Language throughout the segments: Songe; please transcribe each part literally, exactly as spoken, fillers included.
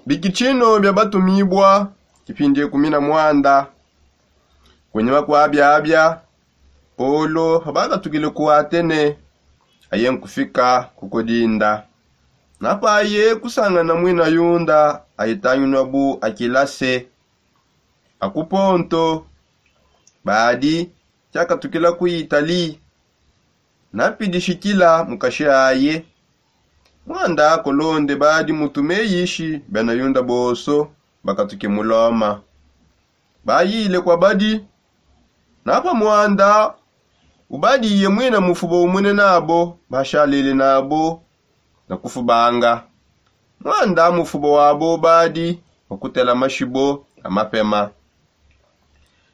Bikitshino bia batumibua. Kipindi kumi na muanda. Kunyima kua biabia, polo pabakatukile ku atene, aye nkufika ku kodinda. Napaye kusangana muina yunda ayitanginua bu akilase, akuponto badi, kiakatukila ku itali. Napidishikila mukashi aye. Muanda kolonde badi mutume yishi bena yunda bonso bakatuke mu loma. Bayile kua badi. Napa muanda ubadiye muina mufubo umune nabo bashalele nabo na kufubanga. Muanda mufubo wabo badi wakutela mashibo na mapema.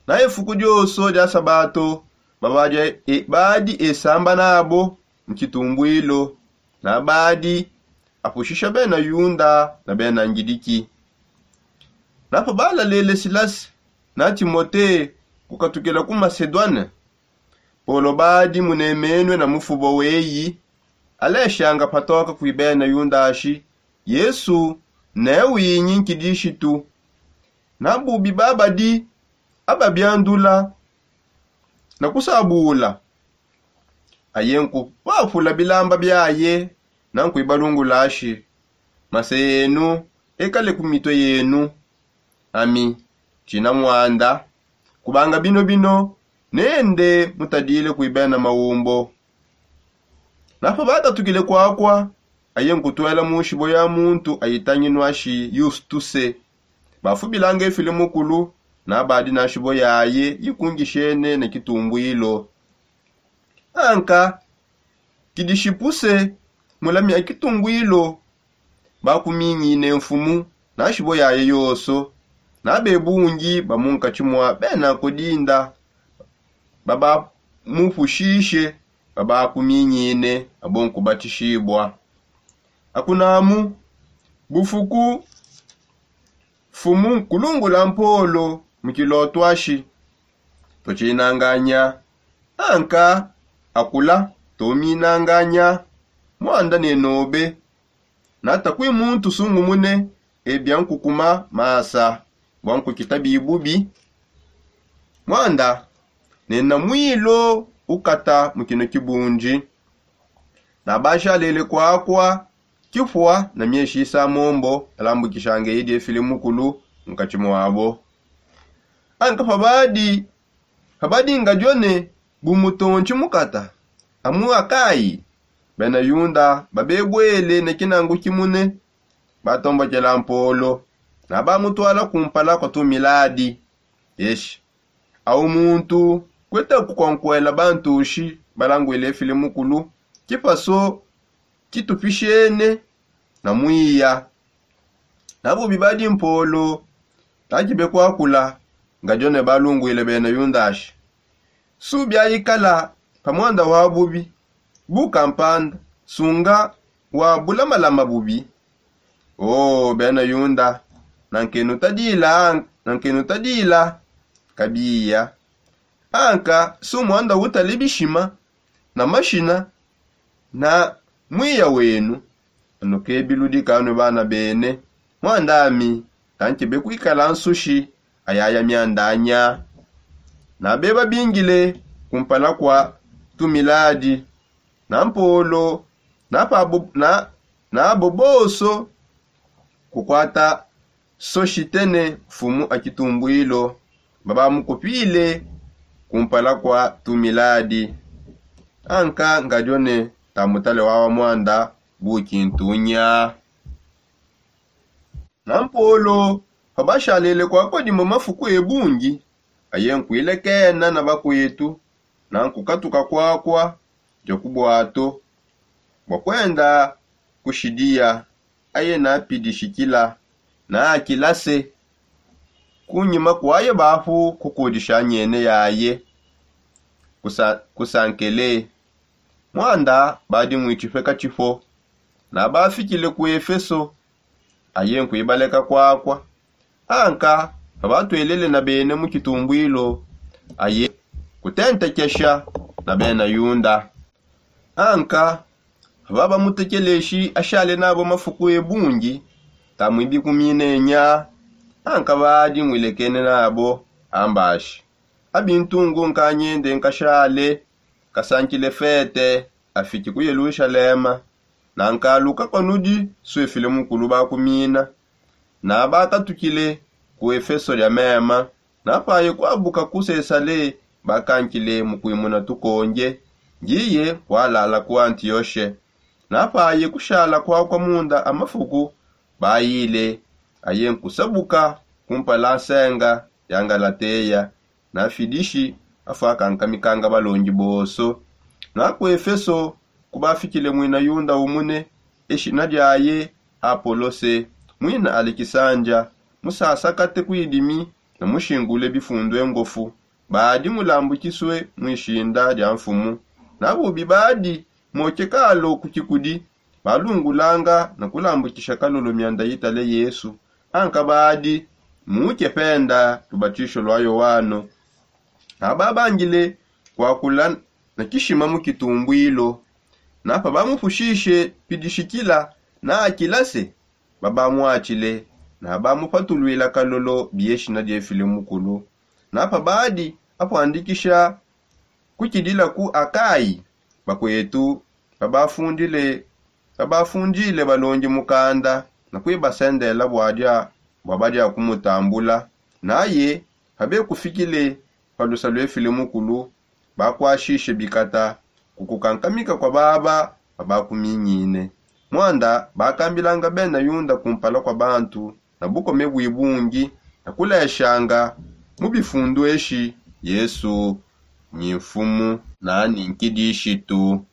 Na efuku dioso dia sabato babadi esamba nabo mu kitumbwilo. Na badi apushisha bena yunda na bena ngidiki. Napa balalele silasi na timote kukatukila ku masedwane, polo badi munemenue na mufubo weyi aleshanga patoka kui bena yunda ashi yesu ne winyi nkidishitu. Na bubi babadi ababiandula na kusabula, aye nkupapula bilamba biaye na nkuibalungula ashi, mase yenu ekale ku mitue yenu. Ami tshina muanda kubanga bino bino nende mutadile kui bena maumbo. Napa bakatukile kuakua, aye nkutuela mu nshibo ya muntu ayitanginua shi yustuse. Bafubilanga efile mukulu na badi na nshibo yaye yikungishene ne kitumbwilo. Anka kidishipuse mulamia kitumbwilo bakuminyine mfumu na nshibo yaye yonso. Na bebungi ba munkatshi mua bena kodinda babamupushishe babakuminyine abo nkubatishibua. Akunamu bufuku mfumu nkulungula mpolo mu kiloto ashi, tutshinanganya. Anka akula tuminanganya. Muanda nenobe nata kui muntu sungumune ebia nkukuma masa bua nkukita bibubi. Muanda nena mwilo ukata mu kino kibundi. Na bashalele kuakua kipua na mieshi isa mombo alambukishanga edi efile mukulu nkatshi muabo. Anka pabadi pabadi ngadione bu mutontshi mukata amu akayi bena yunda babebuele ne kinangu kimune. Batombokela mpolo na bamutuala kumpala kua tumiladi. Eshi au muntu kuetaku kua nkuela bantushi balanguile efile mukulu kipaso kitupishene na muiya. Na bubi badi mpolo takibe kuakula ngadione balunguile bena yundashi. Su biayikala pa muanda wa bubi bu kampanda sunga wa bulamalama bubi. O bena yunda, nankenutadila nankenutadila kabiya. Anka su muanda utale bishima na mashina na mwiya wenu. Anu kebiludika anu bana bene muandami. Tankebe kuikala nsushi ayaya miandanya. Nabeba bingile kumpala kua tumiladi na mpolo na pabo na nabo bonso kukuata soshitene mfumu a kitumbwilo babamukupile kumpala kua tumiladi. Anka ngadione tamutale wawa muanda bukintunya. Na mpolo pabashalele kuakua dimue mafuku ebungi aye nkuilekena na bakuetu na nkukatuka kuakua dia ku buato bua kuenda ku shidiya. Aye napidishikila na akilase kunyima kuaye bapu kukudisha nyene yaye kusankele. Muanda badi muitshipeka tshipo na bafikile ku efeso. Aye nkuibaleka kuakua anka pabatuelele na bene mu kitumbwilo aye kutentekesha na bena yunda. Anka pabamutekeleshi ashale nabo mafuku ebungi Tamwibi kuminenya. Ankabadi mwilekene nabo ambashi. Abintungu nkanyende nkashale kasankile fete afiki ku yelushalema. Na nkaluka kwa nudi swefile mukulu bakumina. Na bakatukile ku efeso dia mema. Na paye kwabuka ku sesale bakankile mu kwimuna tukonge. Ndiye kwalala ku antioshe. Na paye kushala kwakwa munda amafuku bayile. Aye nkusabuka kumpala nsenga ya ngalateya. Na fidishi afwakankamikanga balongi bonso. Na ku efeso kubafikile mwina yunda umune eshina diaye apolose mwina alekisanja. Musasakate kwidimi na mushingule bifundu engofu. Badi mulambukiswe mwishinda dia mfumu. Na bubi badi mokekalo ku kikudi balungulanga na kulambukisha kalolo mianda yitale yesu. Anka badi muke penda lubatisho lwa yoano. Aba bangile kwakula na kishima mu kitumbwilo. Na pabamupushishe pidishikila na akilase babamwatshile. Na bamupatulwila kalolo bieshina diefile mukulu. Na pabadi apwandikisha kukidila ku akayi bakwetu babafundile babafundile balongi mukanda na kwibasendela bwadia bwa badia kumutambula. Naye pabekufikile pa lusa lwefile mukulu bakwashishe bikata ku kukankamika kwa baba babakuminyine. Mwanda bakambilanga bena yunda kumpala kwa bantu na bukome bwibungi na kuleshanga mu bifundu eshi yesu ni mfumu na ni nkidishitu.